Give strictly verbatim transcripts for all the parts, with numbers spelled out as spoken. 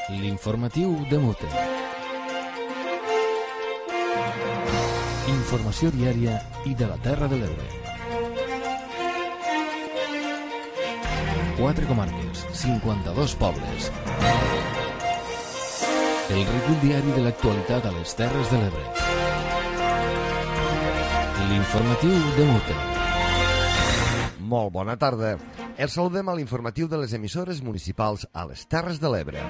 L'informatiu de Mute. Informació diària i de la Terra de l'Ebre. Quatre comarques, cinquanta-dos pobles. El recull diari de l'actualitat a les Terres de l'Ebre. L'informatiu de Mute. Molt bona tarda. Els saludem a l'informatiu de les emissores municipals a les Terres de l'Ebre.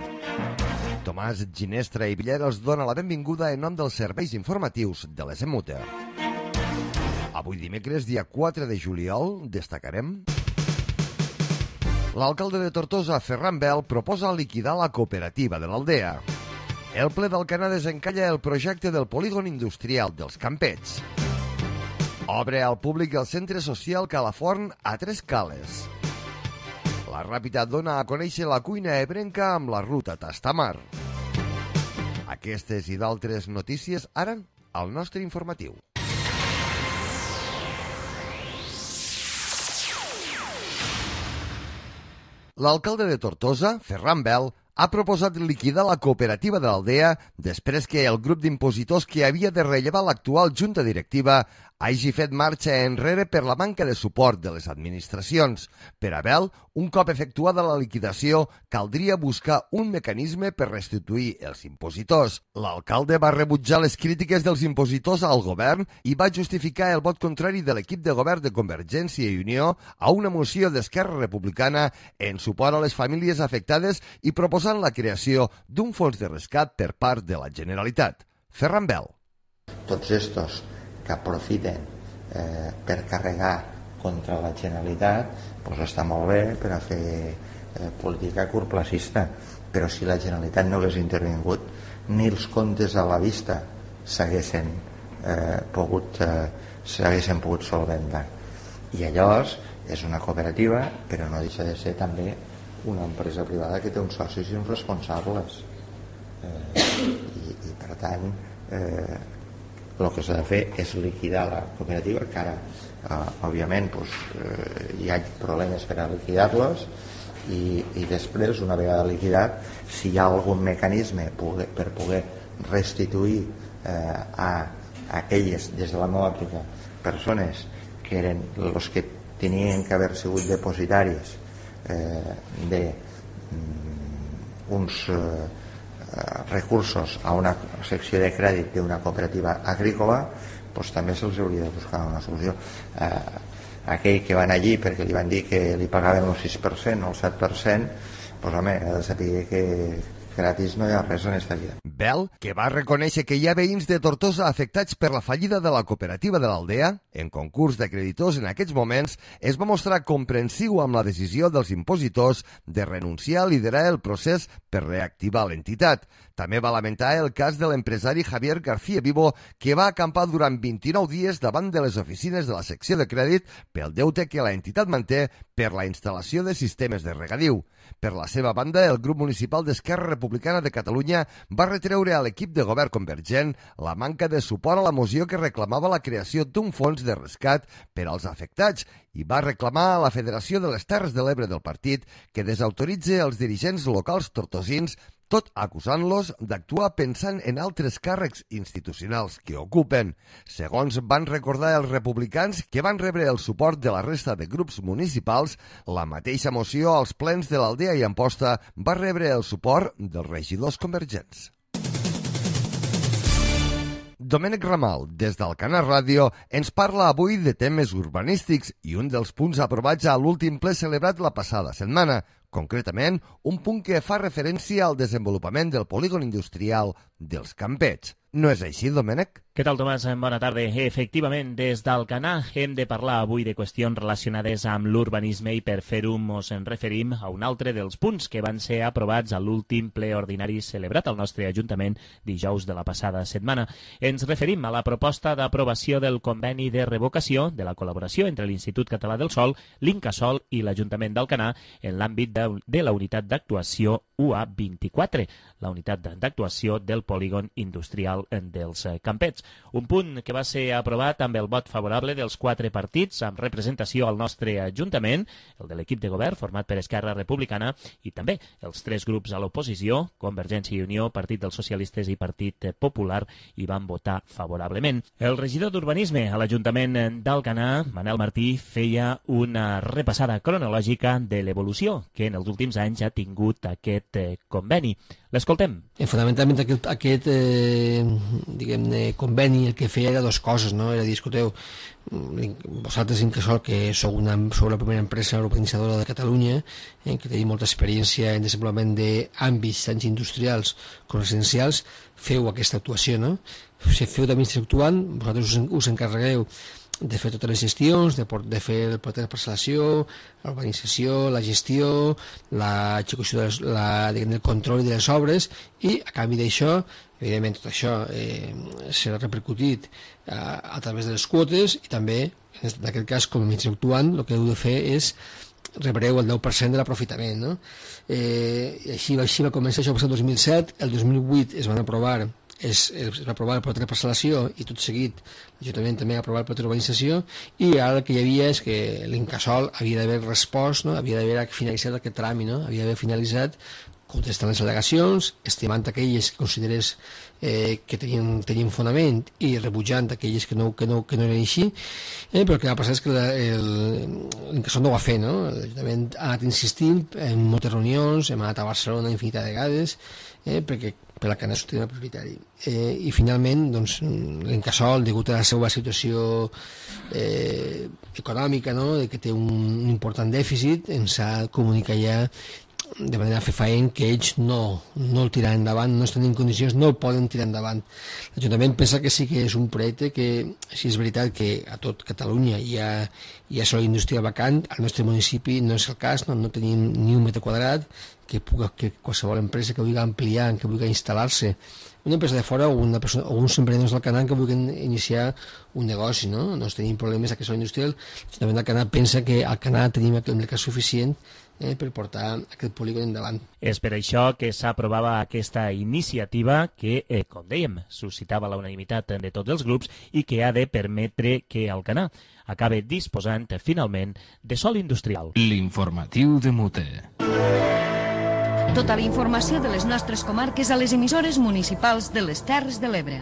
Tomàs Ginestra i Villera els dona la benvinguda en nom dels serveis informatius de les Emute. Avui dimecres, dia quatre de juliol, destacarem... L'alcalde de Tortosa, Ferran Bel, proposa liquidar la cooperativa de l'Aldea. El ple d'Alcanar desencalla el projecte del polígon industrial dels Campets. Obre al públic el centre social Calaforn a Tres Cales. La Ràpita dona a conèixer la cuina ebrenca amb la ruta Tastamar. Aquestes i d'altres notícies ara al nostre informatiu. L'alcalde de Tortosa, Ferran Bel, ha proposat liquidar la cooperativa de l'Aldea després que el grup d'impositors que havia de rellevar l'actual junta directiva hagi fet marxa enrere per la manca de suport de les administracions. Per a Bel, un cop efectuada la liquidació, caldria buscar un mecanisme per restituir els impositors. L'alcalde va rebutjar les crítiques dels impositors al govern i va justificar el vot contrari de l'equip de govern de Convergència i Unió a una moció d'Esquerra Republicana en suport a les famílies afectades i proposant la creació d'un fons de rescat per part de la Generalitat. Ferran Bel. Tots estos que aprofiten eh, per carregar contra la Generalitat, doncs està molt bé per a fer eh, política curtplacista, però si la Generalitat no hagués intervingut, ni els comptes a la vista s'haguessin eh, pogut eh, s'haguessin pogut solventar. I llavors és una cooperativa, però no deixa de ser també una empresa privada que té uns socis i uns responsables. Eh, i, i per tant eh, el que s'ha de fer és liquidar la cooperativa, que ara eh, òbviament doncs, eh, hi ha problemes per a liquidar-los i, i després, una vegada liquidat, si hi ha algun mecanisme poder, per poder restituir eh, a aquelles, des de la meva òptica, persones que eren els que tenien que haver sigut depositaris eh, de mm, uns eh, recursos a una secció de crèdit d'una cooperativa agrícola, doncs també se'ls hauria de buscar una solució. Eh, aquell que van allí perquè li van dir que li pagaven el sis per cent o el set per cent, doncs home, ha de saber que gratis no hi ha res en esta vida. Bel, que va reconèixer que hi ha veïns de Tortosa afectats per la fallida de la cooperativa de l'Aldea, en concurs de creditors en aquests moments, es va mostrar comprensiu amb la decisió dels impositors de renunciar a liderar el procés per reactivar l'entitat. També va lamentar el cas de l'empresari Javier García Vivo, que va acampar durant vint-i-nou dies davant de les oficines de la secció de crèdit pel deute que la entitat manté per la instal·lació de sistemes de regadiu. Per la seva banda, el grup municipal d'Esquerra Republicana de Catalunya va retreure a l'equip de govern convergent la manca de suport a la moció que reclamava la creació d'un fons de rescat per als afectats i va reclamar a la Federació de les Terres de l'Ebre del partit que desautoritzi els dirigents locals tortosins, tot acusant-los d'actuar pensant en altres càrrecs institucionals que ocupen. Segons van recordar els republicans que van rebre el suport de la resta de grups municipals, la mateixa moció als plens de l'Aldea i Amposta va rebre el suport dels regidors convergents. Domènec Ramal, des d'Alcanar Ràdio, ens parla avui de temes urbanístics i un dels punts aprovats a l'últim ple celebrat la passada setmana, concretament un punt que fa referència al desenvolupament del polígon industrial dels Campets. No és així, Domènec? Què tal, Tomàs? Bona tarda. Efectivament, des d'Alcanar hem de parlar avui de qüestions relacionades amb l'urbanisme i per fer-ho ens en referim a un altre dels punts que van ser aprovats a l'últim ple ordinari celebrat al nostre Ajuntament dijous de la passada setmana. Ens referim a la proposta d'aprovació del conveni de revocació de la col·laboració entre l'Institut Català del Sòl, l'Incasòl i l'Ajuntament d'Alcanar en l'àmbit de, de la unitat d'actuació U A vint-i-quatre, la unitat d'actuació del polígon industrial dels Campets. Un punt que va ser aprovat amb el vot favorable dels quatre partits amb representació al nostre Ajuntament, el de l'equip de govern format per Esquerra Republicana i també els tres grups a l'oposició, Convergència i Unió, Partit dels Socialistes i Partit Popular, hi van votar favorablement. El regidor d'Urbanisme a l'Ajuntament d'Alcanar, Manel Martí, feia una repassada cronològica de l'evolució que en els últims anys ha tingut aquest eh, conveni. L'escoltem. Eh, fonamentalment aquest, aquest eh, diguem-ne, conveni el que feia era dues coses, no? Era dir, escolteu, vosaltres Incasòl, que sou, una, sou la primera empresa urbanitzadora de Catalunya, eh, que tenim molta experiència en desenvolupament d'àmbits tant industrials com residencials, feu aquesta actuació, no? Si feu d'administració actuant, vosaltres us, us encarregueu de fer totes les gestions, de, de fer el pla de parcel·lació, l'urbanització, la gestió, l'execució, de les, la, diguem, el control de les obres, i a canvi d'això, evidentment tot això eh, serà repercutit eh, a través de les quotes, i també, en aquest cas, com a administració actuant, el que heu de fer és rebreu el deu per cent de l'aprofitament, no? Eh, i així, així va començar, això va ser el dos mil set, el dos mil vuit es van aprovar Es, es va aprovar el pla de parcel·lació i tot seguit l'Ajuntament també va aprovar el pla d'urbanització, i ara el que hi havia és que l'Incasòl havia d'haver respost, no? Havia d'haver finalitzat aquest tràmit, no? Havia d'haver finalitzat contestant les al·legacions, estimant aquelles que considerés eh, que tenien, tenien fonament i rebutjant aquelles que no, que no, que no eren així, eh, però el que va passar és que l'Incasòl no ho va fer, no? L'Ajuntament ha anat insistint en moltes reunions, hem anat a Barcelona infinitat de vegades, eh, perquè per la Cana Sostenible Prioritari. Eh, I finalment, doncs, l'Incasòl, degut a la seva situació eh, econòmica, no?, de que té un, un important dèficit, ens ha comunicat ja de manera fefaent que ells no, no el tiraran endavant, no estan en condicions, no el poden tirar endavant. L'Ajuntament pensa que sí que és un projecte que, si és veritat que a tot Catalunya hi ha, hi ha sòl industrial vacant, al nostre municipi no és el cas, no, no tenim ni un metre quadrat, que, puga, que qualsevol empresa que vulgui ampliar, que vulgui instal·lar-se, una empresa de fora o, una persona, o uns emprenedors del Canà que vulguin iniciar un negoci, no? No tenim problemes a que sòl industrial. L'Ajuntament del Canà pensa que al Canà tenim el mercat suficient eh, per portar aquest polígon endavant. És per això que s'aprovava aquesta iniciativa que, eh, com dèiem, suscitava la unanimitat de tots els grups i que ha de permetre que Alcanar acabe disposant finalment de sòl industrial. L'informatiu de Mute. Tota la informació de les nostres comarques a les emissores municipals de les Terres de l'Ebre.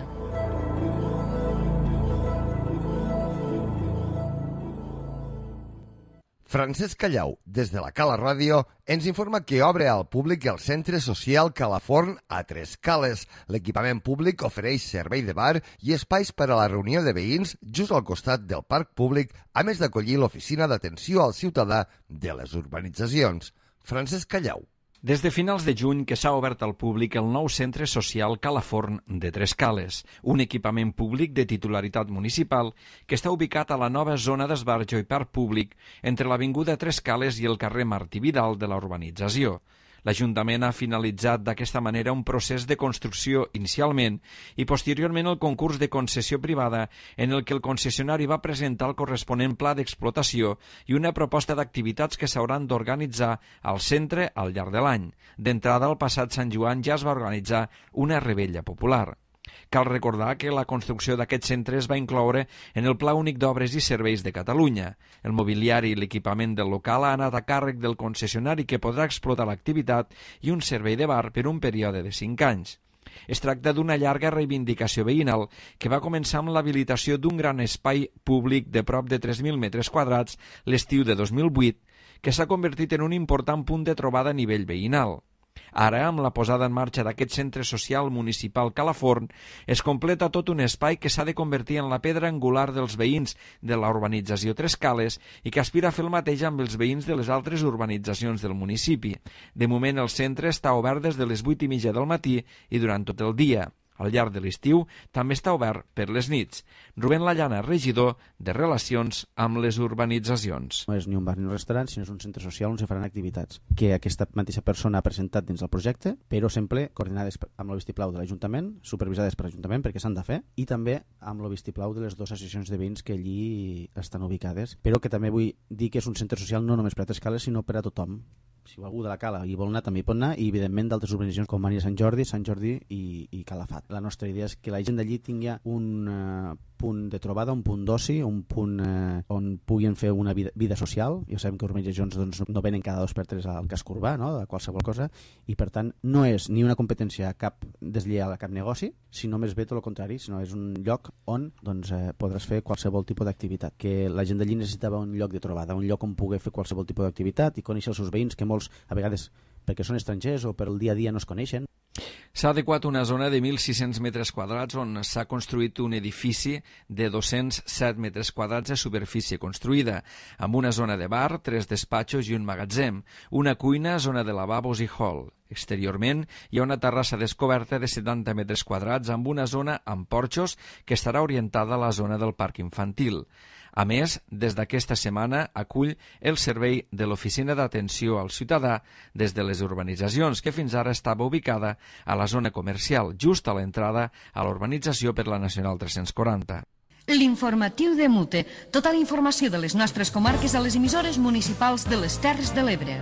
Francesc Callau, des de la Cala Ràdio, ens informa que obre al públic el Centre Social Calaforn a Tres Cales. L'equipament públic ofereix servei de bar i espais per a la reunió de veïns just al costat del parc públic, a més d'acollir l'oficina d'atenció al ciutadà de les urbanitzacions. Francesc Callau. Des de finals de juny que s'ha obert al públic el nou Centre Social Calaforn de Tres Cales, un equipament públic de titularitat municipal que està ubicat a la nova zona d'esbarjo i parc públic entre l'avinguda Tres Cales i el carrer Martí Vidal de la urbanització. L'Ajuntament ha finalitzat d'aquesta manera un procés de construcció inicialment i posteriorment el concurs de concessió privada en el que el concessionari va presentar el corresponent pla d'explotació i una proposta d'activitats que s'hauran d'organitzar al centre al llarg de l'any. D'entrada, el passat Sant Joan ja es va organitzar una revetlla popular. Cal recordar que la construcció d'aquest centre es va incloure en el Pla Únic d'Obres i Serveis de Catalunya. El mobiliari i l'equipament del local ha anat a càrrec del concessionari que podrà explotar l'activitat i un servei de bar per un període de cinc anys. Es tracta d'una llarga reivindicació veïnal que va començar amb l'habilitació d'un gran espai públic de prop de tres mil metres quadrats l'estiu de dos mil vuit, que s'ha convertit en un important punt de trobada a nivell veïnal. Ara, amb la posada en marxa d'aquest centre social municipal Calaforn, es completa tot un espai que s'ha de convertir en la pedra angular dels veïns de la urbanització Tres Cales i que aspira a fer el mateix amb els veïns de les altres urbanitzacions del municipi. De moment, el centre està obert des de les vuit i mitja del matí i durant tot el dia. Al llarg de l'estiu també està obert per les nits. Rubén Lallana, regidor de Relacions amb les Urbanitzacions. No és ni un bar ni un restaurant, sinó és un centre social on se faran activitats que aquesta mateixa persona ha presentat dins del projecte, però sempre coordinades amb el vistiplau de l'Ajuntament, supervisades per l'Ajuntament perquè s'han de fer, i també amb el vistiplau de les dues associacions de veïns que allí estan ubicades, però que també vull dir que és un centre social no només per a Tres Cales, sinó per a tothom. si algú de la Cala hi vol anar també hi pot anar, i evidentment d'altres urbanitzacions com Maria Sant Jordi, Sant Jordi i, i Calafat. La nostra idea és que la gent d'allí tingui un uh, punt de trobada, un punt d'oci, un punt eh, on puguin fer una vida, vida social. Ja sabem que urbanitzacions doncs, no venen cada dos per tres al casc urbà, no? De qualsevol cosa, i per tant no és ni una competència cap deslleial a cap negoci, sinó més bé tot el contrari, sinó és un lloc on doncs, eh, podràs fer qualsevol tipus d'activitat. Que la gent d'allí necessitava un lloc de trobada, un lloc on poder fer qualsevol tipus d'activitat i conèixer els seus veïns, que molts a vegades perquè són estrangers o per el dia a dia no es coneixen. S'ha adequat una zona de mil sis-cents metres quadrats on s'ha construït un edifici de dos-cents set metres quadrats de superfície construïda, amb una zona de bar, tres despatxos i un magatzem, una cuina, zona de lavabos i hall. Exteriorment hi ha una terrassa descoberta de setanta metres quadrats amb una zona amb porxos que estarà orientada a la zona del parc infantil. A més, des d'aquesta setmana acull el servei de l'Oficina d'Atenció al Ciutadà des de les urbanitzacions, que fins ara estava ubicada a la zona comercial, just a l'entrada a l'urbanització per la Nacional tres-cents quaranta. L'informatiu de Mute. Tota la informació de les nostres comarques a les emissores municipals de les Terres de l'Ebre.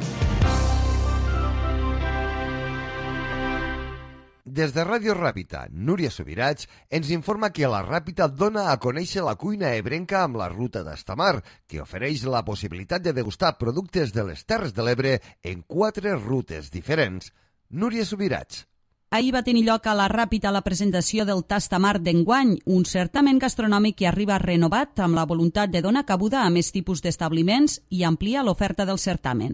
Des de Ràdio Ràpita, Núria Subirats ens informa que la Ràpita dona a conèixer la cuina ebrenca amb la Ruta d'Estamar, que ofereix la possibilitat de degustar productes de les Terres de l'Ebre en quatre rutes diferents. Núria Subirats. Ahir va tenir lloc a la Ràpita la presentació del Tastamar d'enguany, un certamen gastronòmic que arriba renovat amb la voluntat de donar cabuda a més tipus d'establiments i ampliar l'oferta del certamen.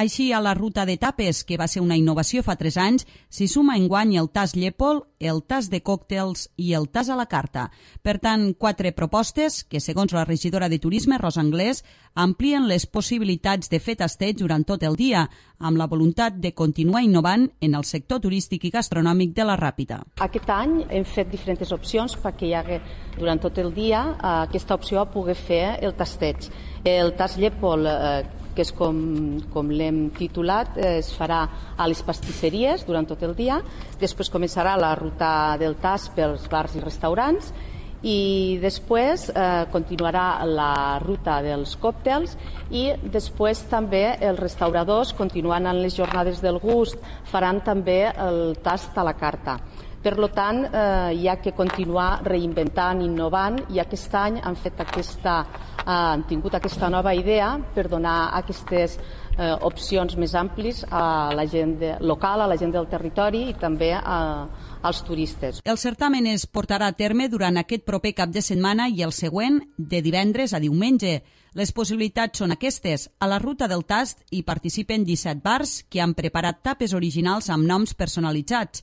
Així, a la ruta de tapes, que va ser una innovació fa tres anys, s'hi suma enguany el tas Llépol, el tas de còctels i el tas a la carta. Per tant, quatre propostes que, segons la regidora de Turisme, Rosa Anglès, amplien les possibilitats de fer tasteig durant tot el dia, amb la voluntat de continuar innovant en el sector turístic i gastronòmic de la Ràpita. Aquest any hem fet diferents opcions perquè hi hagi durant tot el dia aquesta opció a poder fer el tasteig. El tas Llépol, eh, que és com, com l'hem titulat, es farà a les pastisseries durant tot el dia. Després començarà la ruta del tas pels bars i restaurants i després eh, continuarà la ruta dels còctels i després també els restauradors, continuant en les jornades del gust, faran també el tast a la carta. Per tant, eh, hi ha que continuar reinventant, innovant, i aquest any han fet aquesta, eh, han tingut aquesta nova idea per donar aquestes eh, opcions més amplis a la gent de, local, a la gent del territori i també a, als turistes. El certamen es portarà a terme durant aquest proper cap de setmana i el següent de divendres a diumenge. Les possibilitats són aquestes. A la ruta del tast hi participen disset bars que han preparat tapes originals amb noms personalitzats.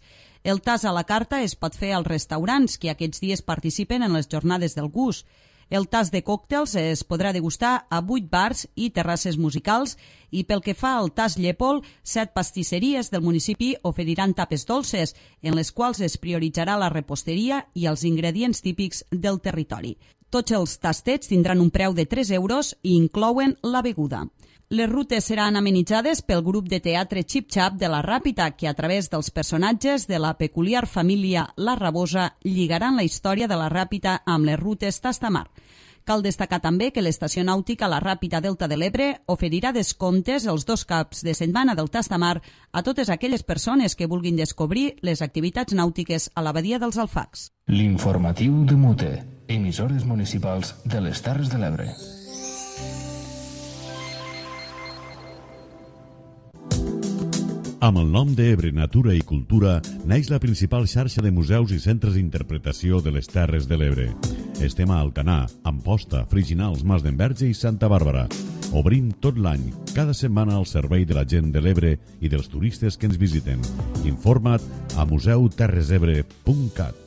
El tas a la carta es pot fer als restaurants que aquests dies participen en les jornades del gust. El tas de còctels es podrà degustar a vuit bars i terrasses musicals i pel que fa al tas Llépol, set pastisseries del municipi oferiran tapes dolces, en les quals es prioritzarà la reposteria i els ingredients típics del territori. Tots els tastets tindran un preu de tres euros i inclouen la beguda. Les rutes seran amenitzades pel grup de teatre Xip Xap de la Ràpita, que a través dels personatges de la peculiar família La Rabosa lligaran la història de la Ràpita amb les rutes Tastamar. Cal destacar també que l'estació nàutica La Ràpita Delta de l'Ebre oferirà descomptes els dos caps de setmana del Tastamar a totes aquelles persones que vulguin descobrir les activitats nàutiques a la badia dels Alfacs. L'informatiu de Mute, emissores municipals de les Terres de l'Ebre. Amb el nom d'Ebre Natura i Cultura naix la principal xarxa de museus i centres d'interpretació de les Terres de l'Ebre. Estem a Alcanar, Amposta, Friginals, Mas d'Enverge i Santa Bàrbara. Obrim tot l'any, cada setmana al servei de la gent de l'Ebre i dels turistes que ens visiten. Informa't a museu terres ebre punt cat.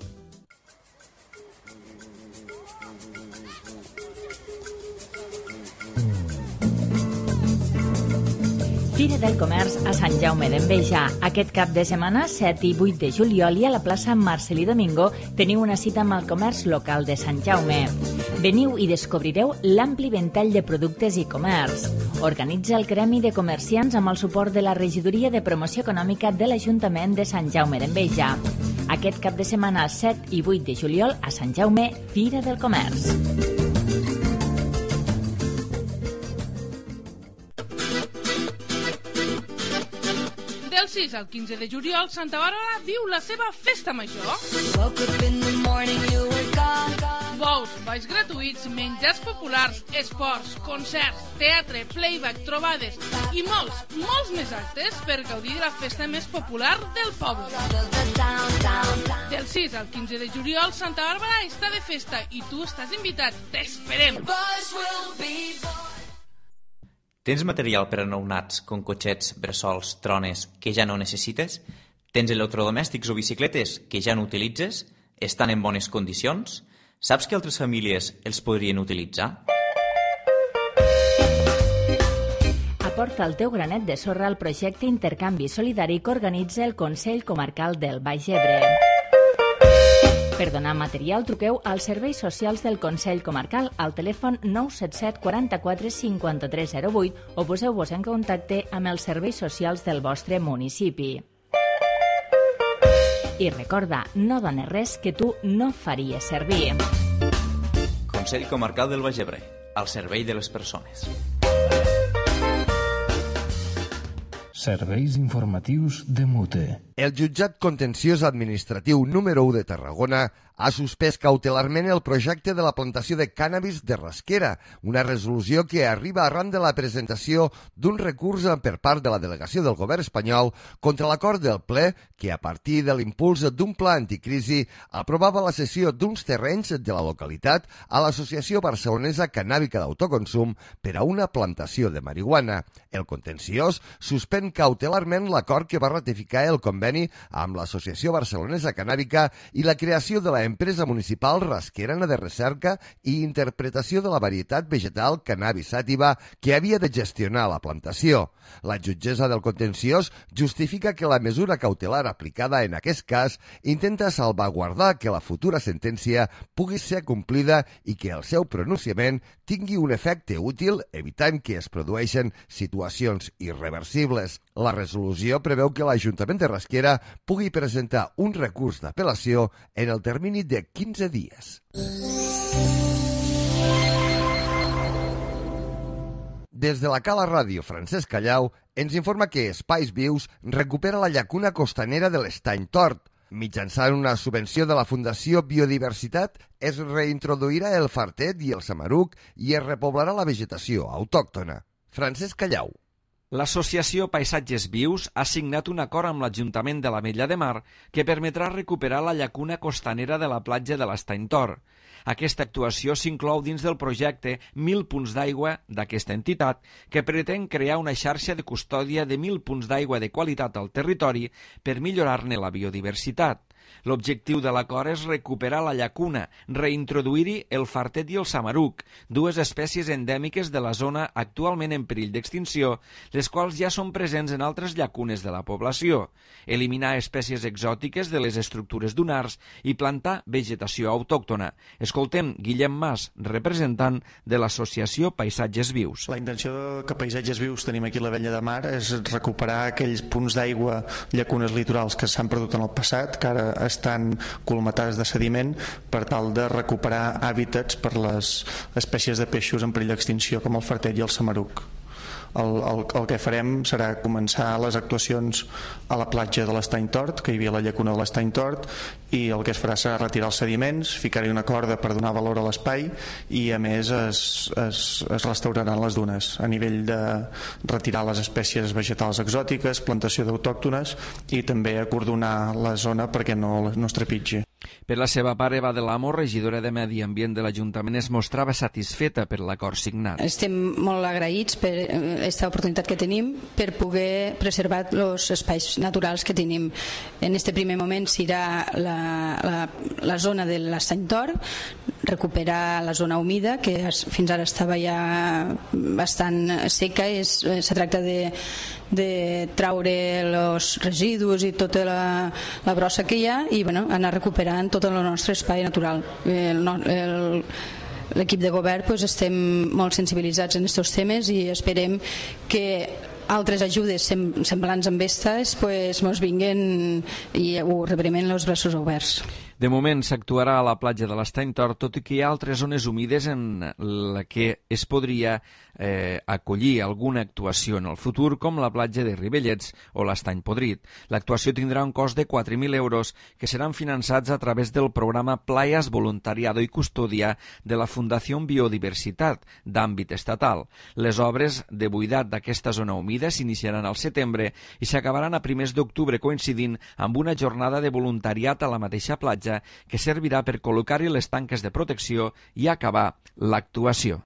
Fira del Comerç a Sant Jaume d'Enveja. Aquest cap de setmana, set i vuit de juliol, i a la plaça Marcelí Domingo teniu una cita amb el comerç local de Sant Jaume. Veniu i descobrireu l'ampli ventall de productes i comerç. Organitza el Gremi de Comerciants amb el suport de la Regidoria de Promoció Econòmica de l'Ajuntament de Sant Jaume d'Enveja. Aquest cap de setmana, set i vuit de juliol, a Sant Jaume, Fira del Comerç. sis al quinze de juliol, Santa Bàrbara viu la seva festa major. Bous, balls gratuïts, menjars populars, esports, concerts, teatre, playback, trobades i molts, molts més actes per gaudir de la festa més popular del poble. Del sis al quinze de juliol, Santa Bàrbara està de festa i tu estàs invitat. T'esperem! Tens material per a nounats, com cotxets, bressols, trones, que ja no necessites? Tens electrodomèstics o bicicletes que ja no utilitzes? Estan en bones condicions? Saps que altres famílies els podrien utilitzar? Aporta el teu granet de sorra al projecte Intercanvi Solidari que organitza el Consell Comarcal del Baix Ebre. Per donar material, truqueu als serveis socials del Consell Comarcal al telèfon nou set set quaranta-quatre cinquanta-tres zero vuit o poseu-vos en contacte amb els serveis socials del vostre municipi. I recorda, no dones res que tu no faries servir. Consell Comarcal del Baix Ebre, al servei de les persones. Serveis informatius de Mute. El jutjat contenciós administratiu número u de Tarragona ha suspès cautelarment el projecte de la plantació de cànnabis de Rasquera, una resolució que arriba arran de la presentació d'un recurs per part de la delegació del govern espanyol contra l'acord del ple que, a partir de l'impuls d'un pla anticrisi, aprovava la cessió d'uns terrenys de la localitat a l'Associació Barcelonesa Cannàbica d'Autoconsum per a una plantació de marihuana. El contenciós suspèn cautelarment l'acord que va ratificar el conveni amb l'Associació Barcelonesa Cannàbica i la creació de la empresa municipal rasquerana de recerca i interpretació de la varietat vegetal cannabis sativa que havia de gestionar la plantació. La jutgessa del contenciós justifica que la mesura cautelar aplicada en aquest cas intenta salvaguardar que la futura sentència pugui ser complida i que el seu pronunciament tingui un efecte útil, evitant que es produeixen situacions irreversibles. La resolució preveu que l'Ajuntament de Rasquera pugui presentar un recurs d'apel·lació en el termini de quinze dies. Des de la Cala Ràdio Francesc Callau ens informa que Espais Vius recupera la llacuna costanera de l'Estany Tort. Mitjançant una subvenció de la Fundació Biodiversitat es reintroduirà el fartet i el samaruc i es repoblarà la vegetació autòctona. Francesc Callau. L'associació Paisatges Vius ha signat un acord amb l'Ajuntament de l'Ametlla de Mar que permetrà recuperar la llacuna costanera de la platja de l'Estany Tort. Aquesta actuació s'inclou dins del projecte Mil punts d'aigua d'aquesta entitat, que pretén crear una xarxa de custòdia de mil punts d'aigua de qualitat al territori per millorar-ne la biodiversitat. L'objectiu de l'acord és recuperar la llacuna, reintroduir-hi el fartet i el samaruc, dues espècies endèmiques de la zona actualment en perill d'extinció, les quals ja són presents en altres llacunes de la població, eliminar espècies exòtiques de les estructures dunars i plantar vegetació autòctona. Escoltem Guillem Mas, representant de l'associació Paisatges Vius. La intenció que Paisatges Vius tenim aquí a l'Ametlla de Mar és recuperar aquells punts d'aigua, llacunes litorals que s'han perdut en el passat, que ara estan colmatades de sediment, per tal de recuperar hàbitats per les espècies de peixos en perill d'extinció com el fartet i el samaruc. El, el, el que farem serà començar les actuacions a la platja de l'Estany Tort, que hi havia la llacuna de l'Estany Tort, i el que es farà serà retirar els sediments, ficar-hi una corda per donar valor a l'espai i a més es, es, es restauraran les dunes a nivell de retirar les espècies vegetals exòtiques, plantació d'autòctones i també acordonar la zona perquè no, no es trepitgi. Per la seva part, Eva de l'Amo, regidora de Medi Ambient de l'Ajuntament, es mostrava satisfeta per l'acord signat. Estem molt agraïts per aquesta oportunitat que tenim per poder preservar els espais naturals que tenim. En aquest primer moment serà la, la, la zona de l'Estany Tort, recuperar la zona humida, que fins ara estava ja bastant seca. Es, se tracta de, de traure els residus i tota la, la brossa que hi ha i bueno, anar recuperant tot el nostre espai natural. El, el, l'equip de govern pues, estem molt sensibilitzats en aquests temes i esperem que altres ajudes semblants amb aquestes pues, mos vinguen i ho rebrem amb els braços oberts. De moment s'actuarà a la platja de l'Estany Tort, tot i que hi ha altres zones humides en la que es podria eh, acollir alguna actuació en el futur, com la platja de Ribellets o l'Estany Podrit. L'actuació tindrà un cost de quatre mil euros que seran finançats a través del programa Playas Voluntariado y Custodia de la Fundació Biodiversitat d'àmbit estatal. Les obres de buidat d'aquesta zona humida s'iniciaran al setembre i s'acabaran a primers d'octubre, coincidint amb una jornada de voluntariat a la mateixa platja que servirà per col·locar-hi les tanques de protecció i acabar l'actuació.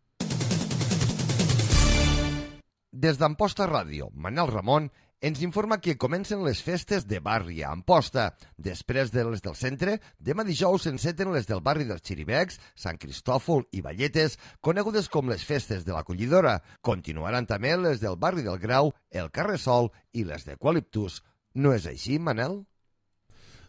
Des d'Amposta Ràdio, Manel Ramon ens informa que comencen les festes de barri a Amposta. Després de les del centre, demà dijous s'enceten les del barri dels Xiribecs, Sant Cristòfol i Valletes, conegudes com les festes de l'Acollidora. Continuaran també les del barri del Grau, el Carressol i les d'Eucaliptus. No és així, Manel?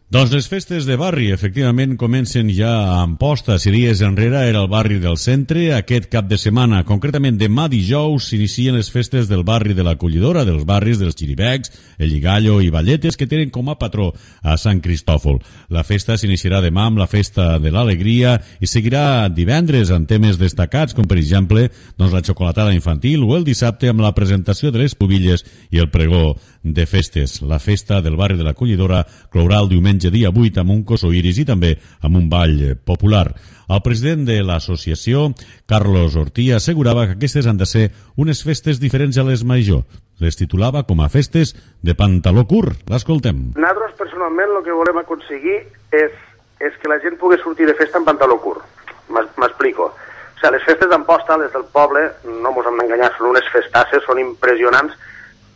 Doncs les festes de barri, efectivament, comencen ja a Amposta. Si dies enrere era el barri del centre, aquest cap de setmana, concretament demà dijous, s'inicien les festes del barri de l'Acollidora, dels barris dels Xiribecs, el Lligallo i Valletes, que tenen com a patró a Sant Cristòfol. La festa s'iniciarà demà amb la Festa de l'Alegria i seguirà divendres amb temes destacats, com per exemple doncs, la xocolatada infantil, o el dissabte amb la presentació de les pubilles i el pregó de festes. La festa del barri de l'Acollidora clourà el diumenge dia vuit amb un cosoiris i també amb un ball popular. El president de l'associació, Carlos Ortí, assegurava que aquestes han de ser unes festes diferents a les major. Les titulava com a festes de pantaló curt. L'escoltem. Nosaltres, personalment, el que volem aconseguir és, és que la gent pugui sortir de festa en pantaló curt. M'explico. O sigui, les festes d'Amposta, les del poble, no ens hem d'enganyar, són unes festasses, són impressionants,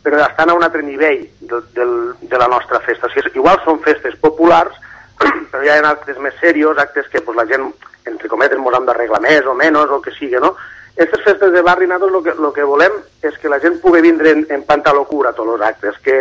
però estan a un altre nivell de, de, de la nostra festa. O sigui, igual són festes populars, però hi ha actes més serios, actes que pues, la gent, entre cometes, ens hem d'arreglar més o menys, o el que sigui, no? Aquestes festes de barri, nosaltres el que, lo que volem és que la gent pugui vindre en, en pantaló curt a tots els actes, que,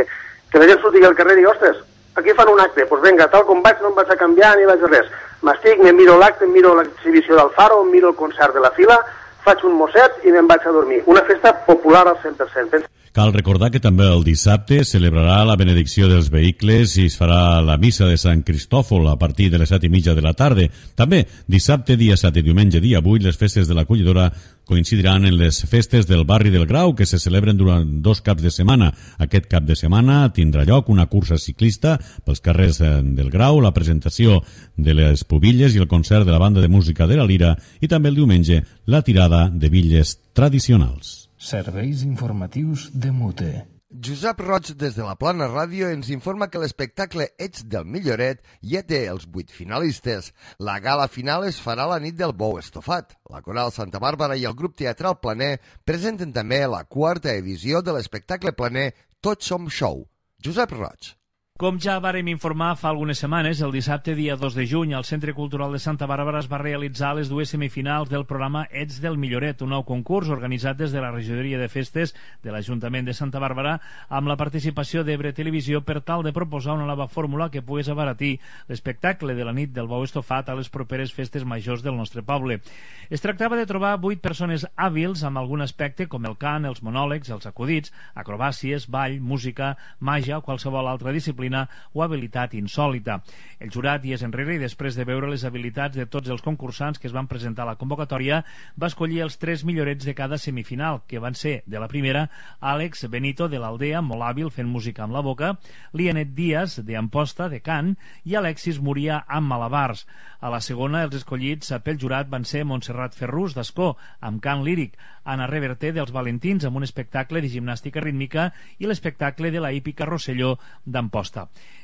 que la gent surti al carrer i digui, ostres, aquí fan un acte, doncs vinga, tal com vaig no em vaig a canviar ni vaig a res. M'estic, me miro l'acte, em miro l'exhibició del Faro, em miro el concert de la Fila, faig un mosset i me'n vaig a dormir. Una festa popular al cent per cent. Cal recordar que també el dissabte celebrarà la benedicció dels vehicles i es farà la missa de Sant Cristòfol a partir de les set i mitja de la tarda. També dissabte, dia set i diumenge, dia vuit, les festes de l'Acollidora coincidiran en les festes del barri del Grau, que se celebren durant dos caps de setmana. Aquest cap de setmana tindrà lloc una cursa ciclista pels carrers del Grau, la presentació de les pubilles i el concert de la banda de música de la Lira i també el diumenge la tirada de bitlles tradicionals. Serveis informatius de Mute. Josep Roig, des de la Plana Ràdio, ens informa que l'espectacle Ets del Milloret ja té els vuit finalistes. La gala final es farà la nit del bou estofat. La Coral Santa Bàrbara i el grup teatral Planer presenten també la quarta edició de l'espectacle Planer Tots som show. Josep Roig. Com ja vàrem informar fa algunes setmanes, el dissabte dia dos de juny al Centre Cultural de Santa Bàrbara es va realitzar les dues semifinals del programa Ets del Milloret, un nou concurs organitzat des de la Regidoria de Festes de l'Ajuntament de Santa Bàrbara amb la participació d'Ebre Televisió per tal de proposar una nova fórmula que pogués abaratir l'espectacle de la nit del bou estofat a les properes festes majors del nostre poble. Es tractava de trobar vuit persones hàbils amb algun aspecte com el cant, els monòlegs, els acudits, acrobàcies, ball, música, màgia o qualsevol altra disciplina o habilitat insòlita. El jurat, dies enrere, i després de veure les habilitats de tots els concursants que es van presentar a la convocatòria, va escollir els tres millorets de cada semifinal, que van ser, de la primera, Àlex Benito, de l'Aldea, molt hàbil fent música amb la boca, Lianet Díaz, de Amposta, de cant, i Alexis Moria, amb malabars. A la segona, els escollits pel jurat van ser Montserrat Ferrús, d'Ascó, amb cant líric, Anna Reverter, dels Valentins, amb un espectacle de gimnàstica rítmica, i l'espectacle de la hípica Rosselló, d'Amposta.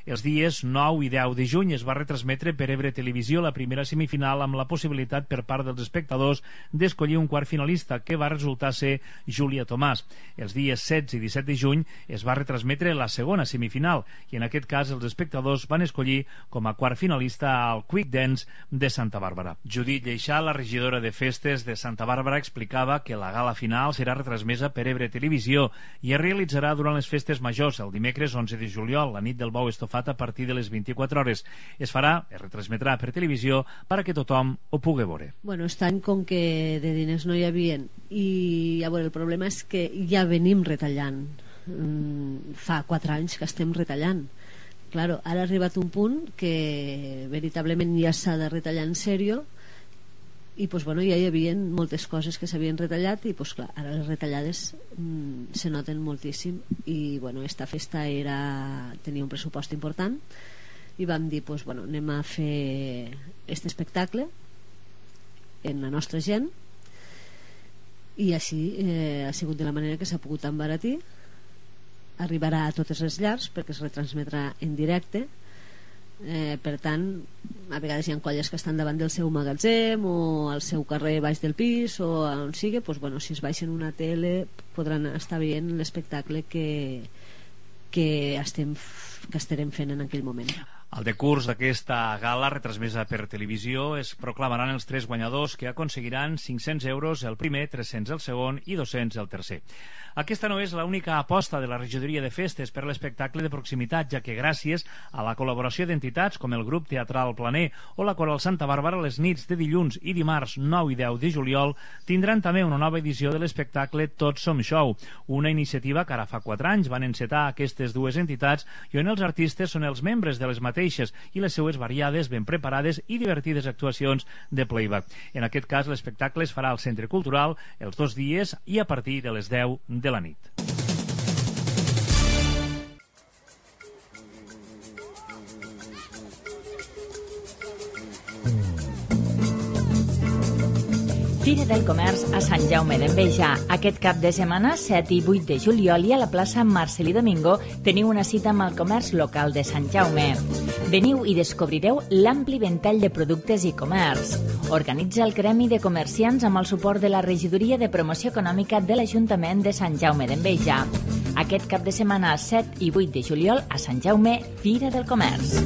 Els dies nou i deu de juny es va retransmetre per Ebre Televisió la primera semifinal amb la possibilitat per part dels espectadors d'escollir un quart finalista, que va resultar ser Júlia Tomàs. Els dies setze i disset de juny es va retransmetre la segona semifinal i en aquest cas els espectadors van escollir com a quart finalista al Quick Dance de Santa Bàrbara. Judit Lleixà, la regidora de Festes de Santa Bàrbara, explicava que la gala final serà retransmesa per Ebre Televisió i es realitzarà durant les festes majors, el dimecres onze de juliol, la nit del bou estofat a partir de les vint-i-quatre hores. Es farà, es retransmetrà per televisió perquè tothom ho pugui veure. Bueno, este any com que de diners no hi havia i a veure, el problema és que ja venim retallant. Mm, fa quatre anys que estem retallant Claro, ara ha arribat un punt que veritablement ja s'ha de retallar en sèrio i pues, bueno, ja hi havia moltes coses que s'havien retallat i pues, clar, ara les retallades mm, se noten moltíssim i bueno, esta festa era, tenia un pressupost important i vam dir pues, bueno, anem a fer este espectacle en la nostra gent i així eh, ha sigut de la manera que s'ha pogut embaratir. Arribarà a totes les llars perquè es retransmetrà en directe. Eh, per tant, a vegades hi ha colles que estan davant del seu magatzem o al seu carrer baix del pis o on sigui, doncs, bueno, si es baixen una tele podran estar veient l'espectacle que, que, estem, que estarem fent en aquell moment. Al decurs d'aquesta gala retransmesa per televisió es proclamaran els tres guanyadors que aconseguiran cinc-cents euros el primer, tres-cents el segon i dos-cents el tercer. Aquesta no és l'única aposta de la regidoria de festes per l'espectacle de proximitat, ja que gràcies a la col·laboració d'entitats com el grup teatral Planer o la Coral Santa Bàrbara, les nits de dilluns i dimarts nou i deu de juliol tindran també una nova edició de l'espectacle Tots som show, una iniciativa que ara fa quatre anys van encetar aquestes dues entitats i on els artistes són els membres de les mateixes i les seues variades, ben preparades i divertides actuacions de playback. En aquest cas l'espectacle es farà al Centre Cultural els dos dies i a partir de les deu de la nit. Fira del Comerç a Sant Jaume d'Enveja. Aquest cap de setmana, set i vuit de juliol, i a la plaça Marcelí Domingo teniu una cita amb el comerç local de Sant Jaume. Veniu i descobrireu l'ampli ventall de productes i comerç. Organitza el Gremi de Comerciants amb el suport de la Regidoria de Promoció Econòmica de l'Ajuntament de Sant Jaume d'Enveja. Aquest cap de setmana, set i vuit de juliol, a Sant Jaume, Fira del Comerç.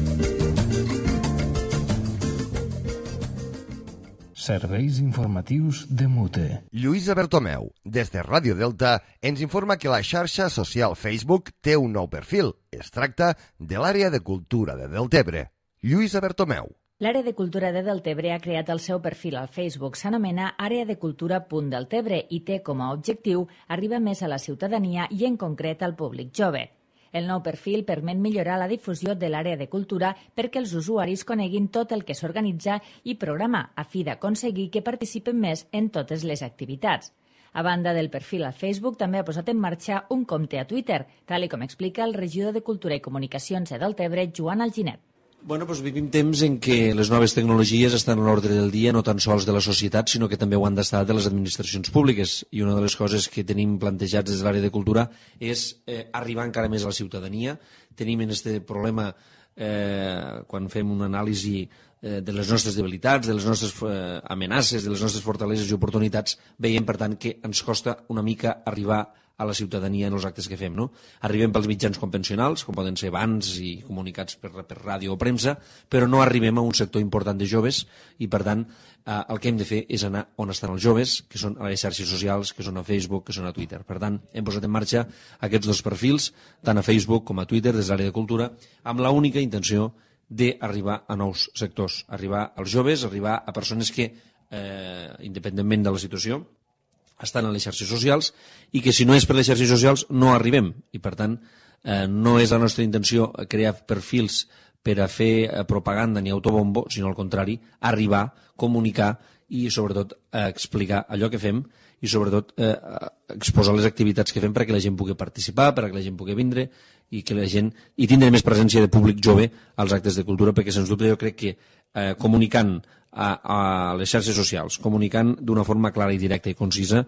Serveis informatius de Mute. Lluïsa Bertomeu, des de Ràdio Delta, ens informa que la xarxa social Facebook té un nou perfil. Es tracta de l'àrea de cultura de Deltebre. Lluïsa Bertomeu. L'Àrea de Cultura de Deltebre ha creat el seu perfil al Facebook. S'anomena Àrea de Cultura punt Deltebre i té com a objectiu arribar més a la ciutadania i en concret al públic jove. El nou perfil permet millorar la difusió de l'àrea de cultura perquè els usuaris coneguin tot el que s'organitza i programa a fi d'aconseguir que participen més en totes les activitats. A banda del perfil a Facebook, també ha posat en marxa un compte a Twitter, tal com explica el regidor de Cultura i Comunicacions de Deltebre, Joan Alginet. Bueno, doncs vivim temps en què les noves tecnologies estan a l'ordre del dia, no tan sols de la societat, sinó que també ho han d'estar de les administracions públiques. I una de les coses que tenim plantejats des de l'àrea de cultura és eh, arribar encara més a la ciutadania. Tenim en aquest problema, eh, quan fem una anàlisi eh, de les nostres debilitats, de les nostres eh, amenaces, de les nostres fortaleses i oportunitats, veiem, per tant, que ens costa una mica arribar a la ciutadania en els actes que fem. No? Arribem pels mitjans convencionals, com poden ser bans i comunicats per, per ràdio o premsa, però no arribem a un sector important de joves i, per tant, eh, el que hem de fer és anar on estan els joves, que són a les xarxes socials, que són a Facebook, que són a Twitter. Per tant, hem posat en marxa aquests dos perfils, tant a Facebook com a Twitter, des de l'àrea de cultura, amb l'única intenció d'arribar a nous sectors, arribar als joves, arribar a persones que, eh, independentment de la situació, estan a les xarxes socials i que si no és per les xarxes socials no arribem i per tant eh, no és la nostra intenció crear perfils per a fer propaganda ni autobombo, sinó al contrari, arribar, comunicar i sobretot eh, explicar allò que fem i sobretot eh, exposar les activitats que fem perquè la gent pugui participar, perquè la gent pugui vindre i que la gent i tindre més presència de públic jove als actes de cultura, perquè sens dubte jo crec que eh, comunicant A, a les xarxes socials, comunicant d'una forma clara i directa i concisa,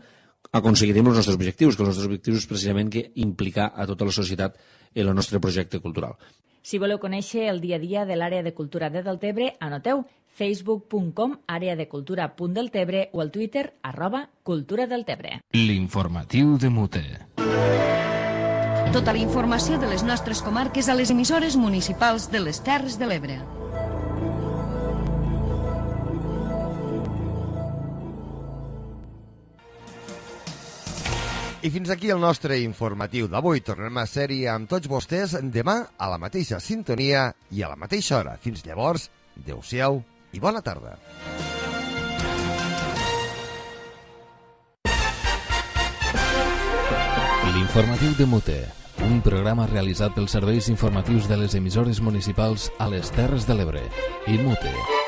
aconseguirem els nostres objectius, que els nostres objectius és precisament que implicar a tota la societat en el nostre projecte cultural. Si voleu conèixer el dia a dia de l'àrea de cultura de Deltebre, anoteu facebook punt com àrea de cultura punt deltebre o al Twitter arroba cultura deltebre. L'informatiu de Mute. Tota la informació de les nostres comarques a les emissores municipals de les Terres de l'Ebre. I fins aquí el nostre informatiu d'avui. Tornem a ser-hi amb tots vostès demà a la mateixa sintonia i a la mateixa hora. Fins llavors, adeu-siau i bona tarda. L'informatiu de Mute, un programa realitzat pels serveis informatius de les emissores municipals a les Terres de l'Ebre. I Mute.